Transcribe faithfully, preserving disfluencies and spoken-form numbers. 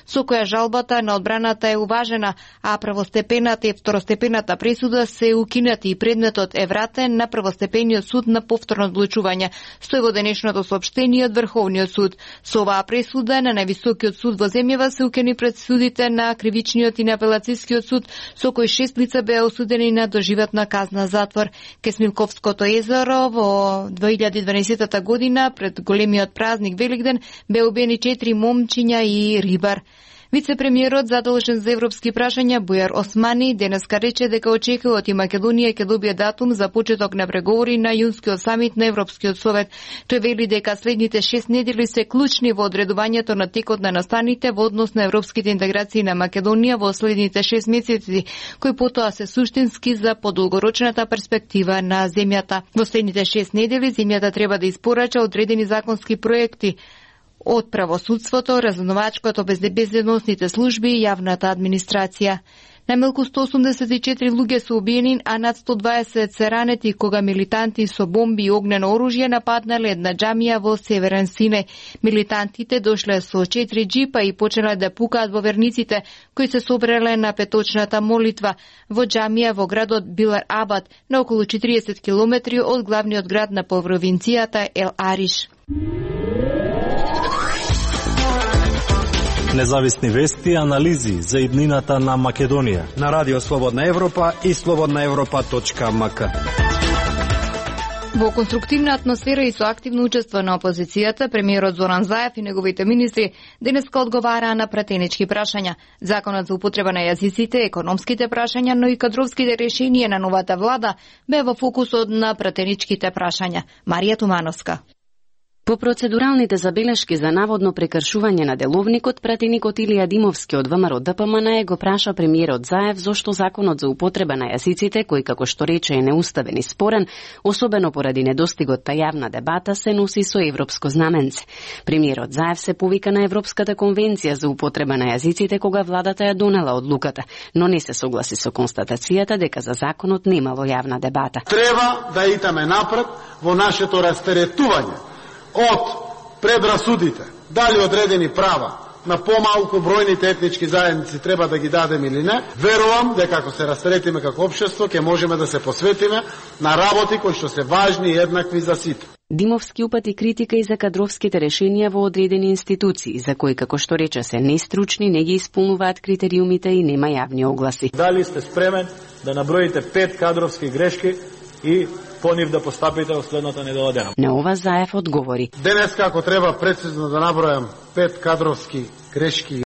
со која жалбата на одбраната е уважена, а првостепената и второстепената пресуда се укинати и предметот е вратен на првостепениот суд на повторно одлучување, стои во денешното соопштение од Врховниот суд. Со оваа пресуда на највисокиот суд во земјава се укини пресудите на кривичниот и на апелацискиот суд, со кои шест лица беа осудени на доживотна казна затвор. Ке Смилковското езеро во две илјади и дванаесетта година пред големиот празник Великден беа убиени четири момчиња и рибар. Вице-премиерот задолжен за европски прашања Бујар Османи денеска рече дека очекуваат и Македонија ќе добие датум за почеток на преговори на јунскиот самит на Европскиот совет. Тој вели дека следните шест недели се клучни во одредувањето на текот на настаните во однос на европските интеграции на Македонија во следните шест месеци, кои потоа се суштински за подолгорочната перспектива на земјата. Во следните шест недели земјата треба да испорача одредени законски проекти од правосудството, разузнавачкото, безбедносните служби и јавната администрација. Најмалку сто осумдесет и четири луѓе се убиени, а над сто дваесет се ранети кога милитанти со бомби и огнено оружје нападнале една џамија во Северен Сине. Милитантите дошле со четири джипа и почнале да пукаат во верниците, кои се собрале на петочната молитва во џамија во градот Билар Абад, на околу четириесет километри од главниот град на провинцијата Ел Ариш. Независни вести и анализи за иднината на Македонија на Радио Слободна Европа и слободна европа точка ем ка. Во конструктивна атмосфера и со активно учество на опозицијата, премиерот Зоран Заев и неговите министри денеска одговараа на пратенички прашања. Законот за употреба на јазиците, економските прашања, но и кадровските решенија на новата влада бе во фокусот на пратеничките прашања. Марија Тумановска. По процедуралните забелешки за наводно прекршување на деловникот, пратеникот Илија Димовски од ВМРО Д П М Н го праша премиерот Заев зошто законот за употреба на јазиците, кој како што рече е неуставен и спорен, особено поради недостигот та јавна дебата, се носи со европско знаменце. Премиерот Заев се повика на Европската конвенција за употреба на јазиците кога владата ја донела одлуката, но не се согласи со констатацијата дека за законот немало јавна дебата. Треба да идеме напред во нашето растеретување од предрасудите, дали одредени права на помалку бројните етнички заедници треба да ги дадем или не. Верувам дека ако се растретиме како општество, ќе можеме да се посветиме на работи кои што се важни и еднакви за сите. Димовски упати критика и за кадровските решенија во одредени институции, за кои, како што рече, се нестручни, не ги исполнуваат критериумите и нема јавни огласи. Дали сте спремен да наброите пет кадровски грешки и по нив да постапите во следната недела дена? На ова Заев одговори. Денеска, ако треба прецизно да набројам пет кадровски грешки